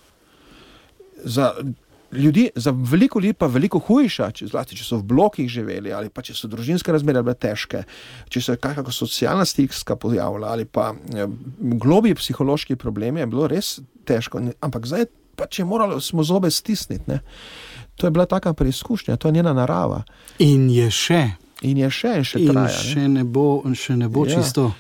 Za veliko ljudi pa veliko hujša, zlasti, če so v blokih živeli, ali pa če so družinske razmere bile težke, če se je kakšna socialna stiska pojavila, ali pa globlji psihološki problemi, je bilo res težko. Ampak zdaj pač je moralo smo zobe stisniti, ne. To je bila taka preizkušnja, to je njena narava. In je še. In traja. In še ne bo čisto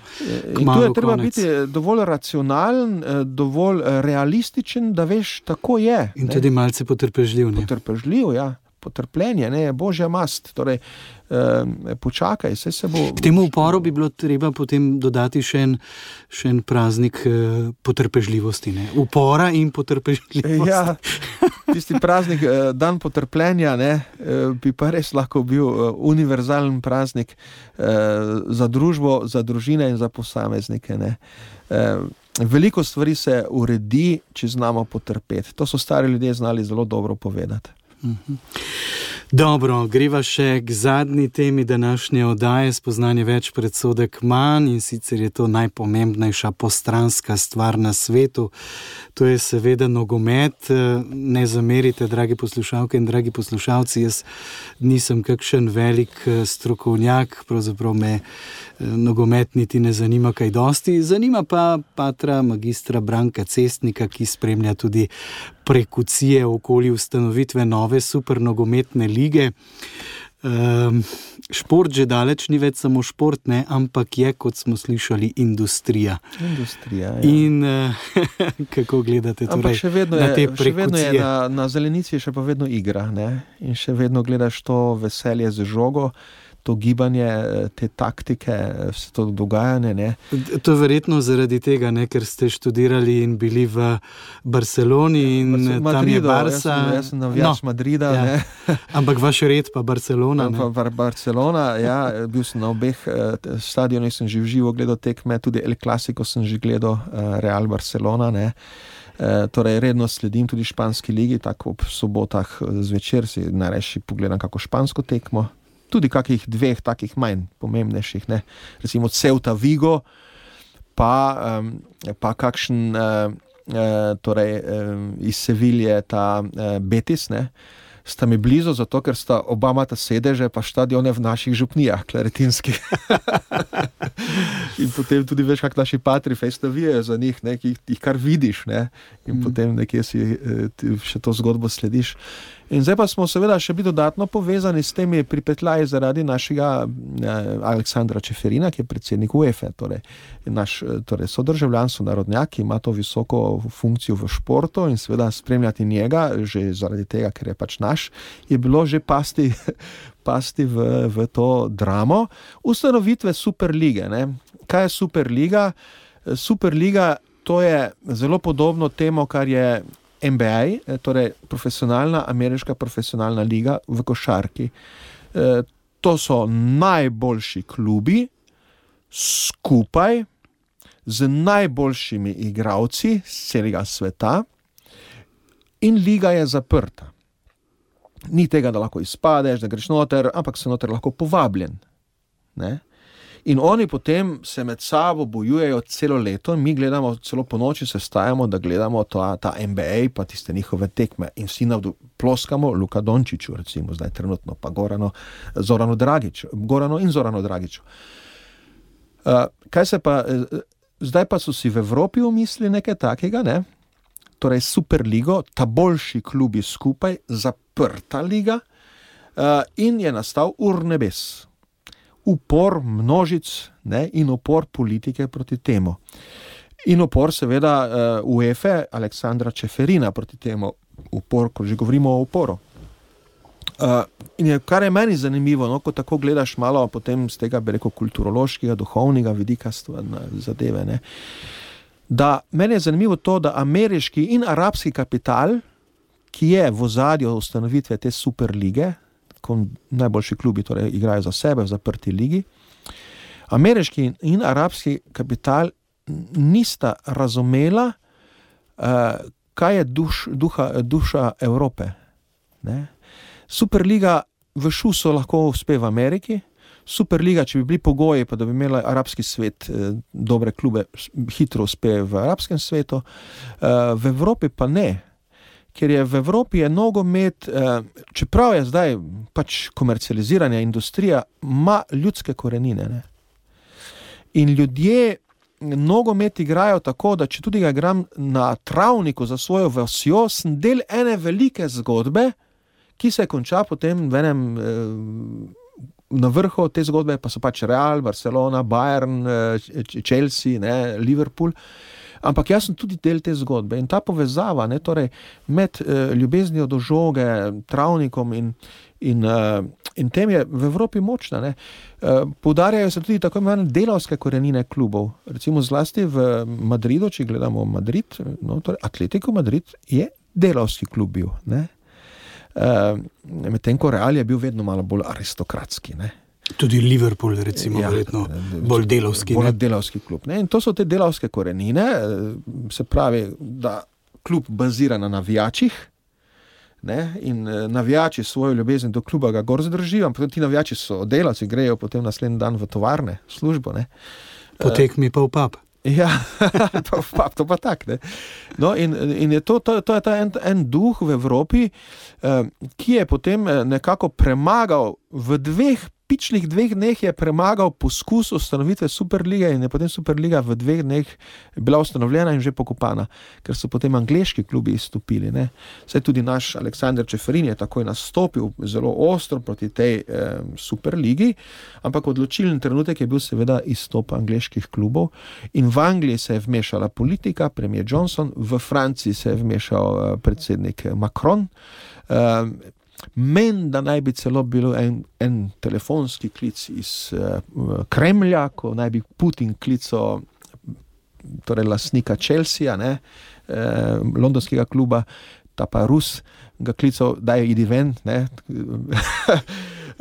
kmalu konec. In tu je treba biti dovolj racionalen, dovolj realističen, da veš, tako je. In tudi malce potrpežljiv, ne? Potrpežljiv, ja. Potrpljenje, ne, je božja mast. Torej, počakaj, se bo... K temu uporu bi bilo treba potem dodati še en praznik potrpežljivosti, ne? Upora in potrpežljivosti. Ja, tisti praznik, dan potrpljenja, ne, bi pa res lahko bil univerzalen praznik za družbo, za družine in za posameznike, ne. Veliko stvari se uredi, če znamo potrpeti. To so stari ljudje znali zelo dobro povedati. Dobro, greva še k zadnji temi današnje oddaje Spoznanje več, predsodek manj, in sicer je to najpomembnejša postranska stvar na svetu. To je seveda nogomet. Ne zamerite, dragi poslušalke in dragi poslušalci, jaz nisem kakšen velik strokovnjak, pravzaprav me nogomet niti ne zanima kaj dosti. Zanima pa patra magistra Branka Cestnika, ki spremlja tudi prekucije okoli ustanovitve nove supernogometne lige. Šport že daleč ni več samo šport, ne, ampak je, kot smo slišali, industrija. Industrija, ja. In kako gledate torej še vedno na te prekucije? Še vedno je na zelenici še pa vedno igra, ne, in še vedno gledaš to veselje z žogo, to gibanje, te taktike, vse to dogajanje, ne. To je verjetno zaradi tega, ne, ker ste študirali in bili v Barceloni in tam je Barca. Jaz sem navijač Madrida, ja. Ne. Ampak vaš red pa Barcelona, ne. Barcelona, ja, bil sem na obeh stadionih, sem že v živo gledal tekme, tudi El Clasico sem že gledal, Real Barcelona, ne. Torej redno sledim tudi španski ligi, tako ob sobotah zvečer si najrajši pogledam kako špansko tekmo. Tudi kakih dveh takih manj pomembnejših, ne, recimo Ceuta Vigo, pa kakšen iz Sevilje ta Betis, ne, sta mi blizu, zato ker sta oba imata sedeže pa štadione v naših župnijah, klaretinskih. In potem tudi veš, kak naši patri fejst navijajo za njih, ne, ki jih kar vidiš, ne, in potem nekje si še to zgodbo slediš. In zdaj pa smo seveda še bili dodatno povezani s temi pripetljaji zaradi našega Aleksandra Čeferina, ki je predsednik UEFA, torej naš sodržavljan, sonarodnjak, ki ima to visoko funkcijo v športu, in seveda spremljati njega, že zaradi tega, ker je pač naš, je bilo že pasti v to dramo ustanovitve Superlige, ne. Kaj je Superliga? Superliga, to je zelo podobno temu, kar je NBA, torej ameriška profesionalna liga v košarki. To so najboljši klubi skupaj z najboljšimi igralci z celega sveta in liga je zaprta. Ni tega, da lahko izpadeš, da greš noter, ampak se noter lahko povabljen, ne. In oni potem se med sabo bojujejo celo leto, mi gledamo celo po noči, se stajamo, da gledamo ta NBA, pa tiste njihove tekme in vsi ploskamo Luka Dončiću, recimo zdaj trenutno, pa Goranu in Zoranu Dragiću. Zdaj pa so si v Evropi umislili nekaj takega, ne? Torej Superligo, ta boljši klubi skupaj, zaprta liga, in je nastal urnebes. Upor množic, ne, in upor politike proti temu. In upor seveda UEFA Aleksandra Čeferina proti temu. Upor, ko že govorimo o uporu. In kar je meni zanimivo, no, ko tako gledaš malo potem z tega, bi rekel, kulturološkega, duhovnega vidika zadeve, ne, da meni je zanimivo to, da ameriški in arabski kapital, ki je v ozadju ustanovitve te superlige, ko najboljši klubi torej igrajo za sebe v zaprti ligi, ameriški in arabski kapital nista razumela, kaj je duša Evrope. Ne? Superliga v šusu lahko uspe v Ameriki, Superliga, če bi bili pogoji, pa da bi imela arabski svet dobre klube, hitro uspe v arabskem svetu, v Evropi pa ne. Ker je v Evropi nogomet, čeprav je zdaj pač komercializirana industrija, ima ljudske korenine. Ne? In ljudje nogomet igrajo tako, da če tudi ga igram na travniku za svojo vasjo, sem del ene velike zgodbe, ki se konča potem v enem, na vrhu te zgodbe pa so pač Real, Barcelona, Bayern, Chelsea, ne, Liverpool. Ampak jaz sem tudi del te zgodbe in ta povezava, ne, torej med ljubeznijo do žoge, travnikom in tem je v Evropi močna. Ne. Poudarjajo se tudi tako imenovane delavske korenine klubov. Recimo zlasti v Madridu, če gledamo Madrid, no, torej Atletico Madrid je delavski klub bil. Ne. Medtem ko Real je bil vedno malo bolj aristokratski. Ne. Tudi Liverpool, recimo, verjetno bolj delavski. Bolj delavski klub. Ne. In to so te delavske korenine, se pravi, da klub bazira na navijačih, ne, in navijači svojo ljubezen do kluba ga gor zdržijo, ampak ti navijači so delavci, grejo potem naslednji dan v tovarne, službo. Ne. Po tekmi pa v pub. Ja, to pa tak. Ne. No, in je to je ta en duh v Evropi, ki je potem nekako premagal v pičlih 2 dneh je premagal poskus ustanovitve Superlige in je potem Superliga v 2 dneh bila ustanovljena in že pokopana, ker so potem angleški klubi izstopili. Ne. Saj tudi naš Aleksander Čeferin je takoj nastopil zelo ostro proti tej Superligi, ampak odločilen trenutek je bil seveda izstop angleških klubov in v Angliji se je vmešala politika, premier Johnson, v Franciji se je vmešal predsednik Macron, da naj bi celo bilo en telefonski klic iz Kremlja, ko naj bi Putin klical torej lastnika Chelsea, ne, londonskega kluba, ta pa Rus ga klical, daj idi ven, ne,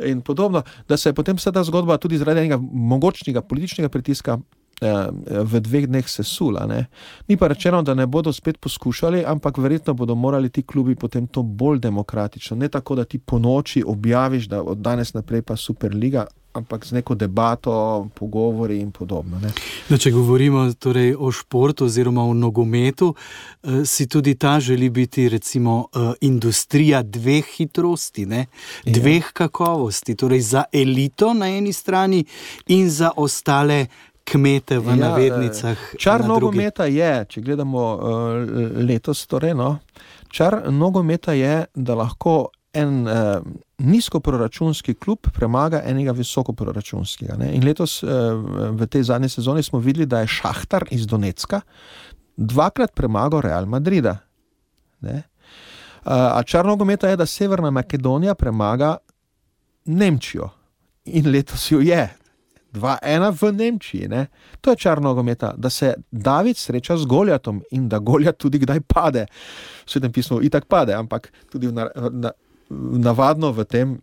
in podobno, da se je potem vsa ta zgodba tudi zaradi enega mogočnega političnega pritiska v 2 dneh sesula. Ne. Ni pa rečeno, da ne bodo spet poskušali, ampak verjetno bodo morali ti klubi potem to bolj demokratično. Ne tako, da ti po noči objaviš, da od danes naprej pa Superliga, ampak z neko debato, pogovori in podobno. Ne. No, če govorimo torej o športu oziroma o nogometu, si tudi ta želi biti recimo industrija 2 hitrosti, ne? 2 kakovosti, torej za elito na eni strani in za ostale kmete v navednicah. Čar nogometa je, če gledamo letos, torej, no, čar nogometa je, da lahko en nizkoproračunski klub premaga enega visokoproračunskega. Ne. In letos v tej zadnji sezoni smo videli, da je Šahtar iz Donecka 2-krat premagal Real Madrida. Ne. A čar nogometa je, da Severna Makedonija premaga Nemčijo. In letos jo je. 2-1 v Nemčiji. Ne? To je čar nogometa, da se David sreča z Goljatom in da Goljat tudi kdaj pade. V Svetem pismu itak pade, ampak tudi navadno v tem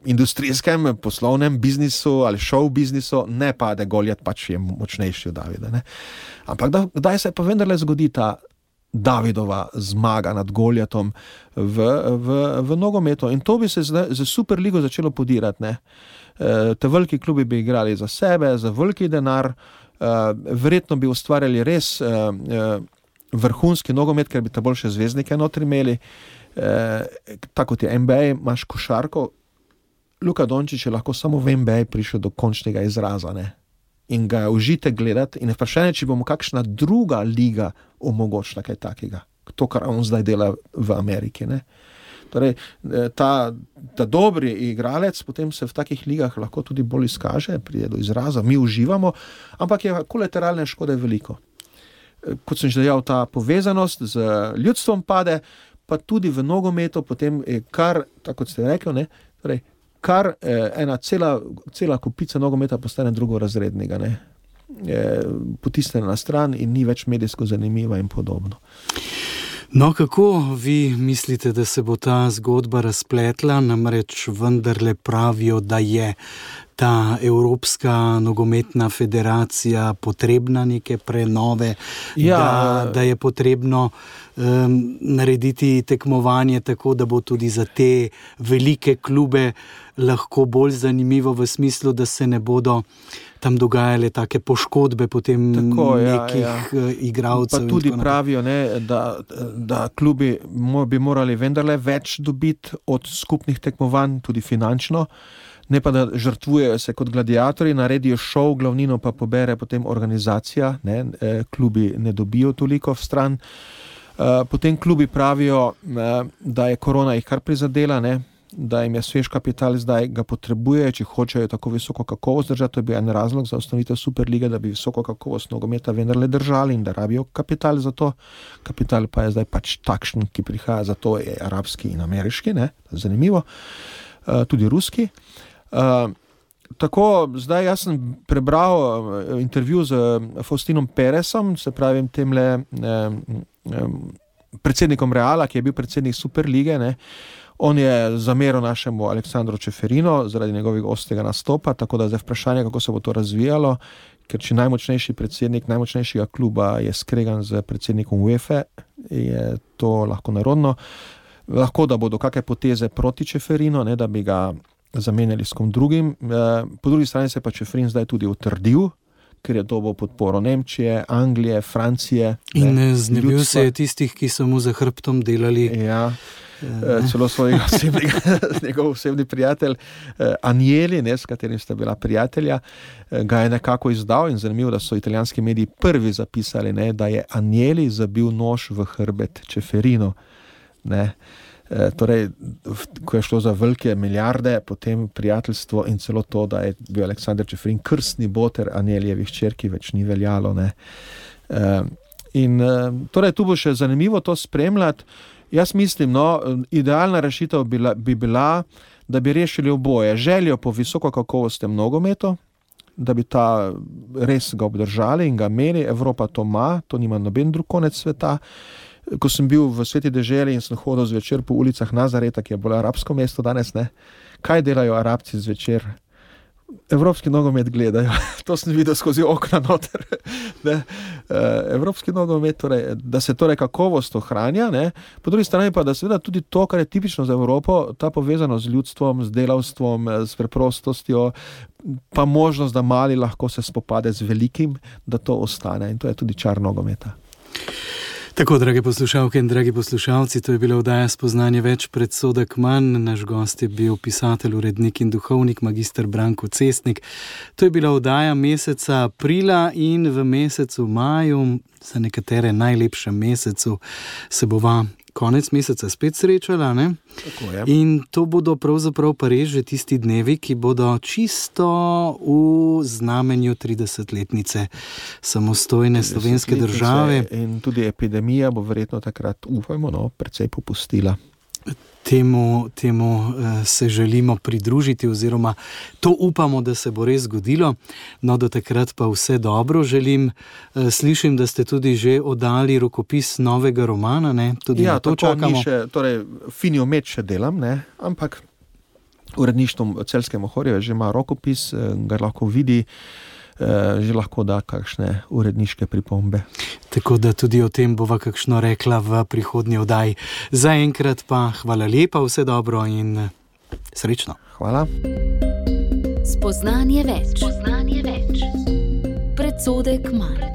industrijskem, poslovnem biznisu ali show biznisu ne pade Goljat, pač je močnejši od Davida. Ne? Ampak kdaj se pa vendarle zgodi ta Davidova zmaga nad Goljatom v nogometu. In to bi se za Superligo začelo podirati. Ne? Te veliki klubi bi igrali za sebe, za veliki denar, verjetno bi ustvarjali res vrhunski nogomet, ker bi te boljše zvezdnike notri imeli. Tako kot je NBA, imaš košarko, Luka Dončić je lahko samo v NBA prišel do končnega izraza, ne? In ga užite gledati in vprašanje, če bomo kakšna druga liga omogočila kaj takega, to, kar on zdaj dela v Ameriki, ne? Torej, ta dobri igralec potem se v takih ligah lahko tudi bolj izkaže, pride do izraza, mi uživamo, ampak je kolateralne škode veliko. Kot sem že dejal, ta povezanost z ljudstvom pade, pa tudi v nogometu, potem kar, tako kot ste rekli, ne, torej, kar ena cela kupica nogometa postane drugorazrednega, ne. Potisnjena na stran in ni več medijsko zanimiva in podobno. No, kako vi mislite, da se bo ta zgodba razpletla? Namreč vendarle pravijo, da je ta Evropska nogometna federacija potrebna neke prenove, da je potrebno narediti tekmovanje tako, da bo tudi za te velike klube lahko bolj zanimivo v smislu, da se ne bodo tam dogajale take poškodbe potem igralcev. Pa tudi pravijo, ne, da klubi bi morali vendarle več dobiti od skupnih tekmovanj, tudi finančno, ne pa da žrtvujejo se kot gladiatorji, naredijo šov, glavnino pa pobere potem organizacija, ne, klubi ne dobijo toliko v stran. Potem klubi pravijo, da je korona jih kar prizadela, ne, da jim je svež kapital, zdaj ga potrebuje, če hočejo tako visoko kakovost držati. To je bil en razlog za ustanovitev Superlige, da bi visoko kakovost nogometa vendarle držali in da rabijo kapital za to. Kapital pa je zdaj pač takšen, ki prihaja, zato je arabski in ameriški, ne, zanimivo, tudi ruski. Tako, zdaj jaz sem prebral intervju z Faustinom Peresom, se pravim temle predsednikom Reala, ki je bil predsednik Superlige, ne. On je zameril našemu Aleksandru Čeferinu zaradi njegovega ostrega nastopa, tako da zdaj vprašanje, kako se bo to razvijalo, ker če najmočnejši predsednik najmočnejšega kluba je skregan z predsednikom UEFA, je to lahko nerodno. Lahko, da bodo kakšne poteze proti Čeferinu, ne, da bi ga zamenjali s kom drugim. Po drugi strani se pa Čeferin zdaj tudi utrdil, ker je dobil podporo Nemčije, Anglije, Francije. In znebil se je tistih, ki so mu za hrbtom delali. Ja. Celo njegov osebni prijatelj Agnelli, ne, s katerim sta bila prijatelja, ga je nekako izdal in zanimivo, da so italijanski mediji prvi zapisali, ne, da je Agnelli zabil nož v hrbet Čeferinu. Ne. Torej, ko je šlo za velike milijarde, potem prijateljstvo in celo to, da je bil Aleksander Čeferin krstni boter Agnellijevih hčerki, več ni veljalo. Ne. Torej, tu bo še zanimivo to spremljati. Jaz mislim, idealna rešitev bi bila, da bi rešili oboje. Željo po visoko kakovostnem nogometu, da bi ta res ga obdržali in ga imeli. Evropa to ima, to nima noben drug konec sveta. Ko sem bil v Sveti deželi in sem hodil zvečer po ulicah Nazareta, ki je bolj arabsko mesto danes, ne, kaj delajo Arabci zvečer? Evropski nogomet gledajo. To sem videl skozi okna noter. Ne. Evropski nogomet, torej, da se torej kakovost ohranja, ne. Po drugi strani pa, da seveda tudi to, kar je tipično za Evropo, ta povezano z ljudstvom, z delavstvom, s preprostostjo, pa možnost, da mali lahko se spopade z velikim, da to ostane. In to je tudi čar nogometa. Tako, drage poslušalke in dragi poslušalci, to je bila oddaja Spoznanje več, predsodek manj. Naš gost je bil pisatelj, urednik in duhovnik magister Branko Cestnik. To je bila oddaja meseca aprila in v mesecu maju, za nekatere najlepšem mesecu, se bova konec meseca spet srečala, ne? Tako je. In to bodo pravzaprav pa res že tisti dnevi, ki bodo čisto v znamenju 30-letnice samostojne slovenske države. In tudi epidemija bo verjetno takrat, upajmo, precej popustila. Temu se želimo pridružiti oziroma to upamo, da se bo res zgodilo. No, do takrat pa vse dobro želim. Slišim, da ste tudi že oddali rokopis novega romana, ne? Tudi na to čakamo. Torej, Fini omet še delam, ne? Ampak uredništvo Celjske Mohorjeve že ima rokopis, ga lahko vidi, že lahko da kakšne uredniške pripombe. Tako da tudi o tem bova kakšno rekla v prihodnji oddaji. Zaenkrat pa hvala lepa, vse dobro in srečno. Hvala. Spoznanje več. Predsodek manj.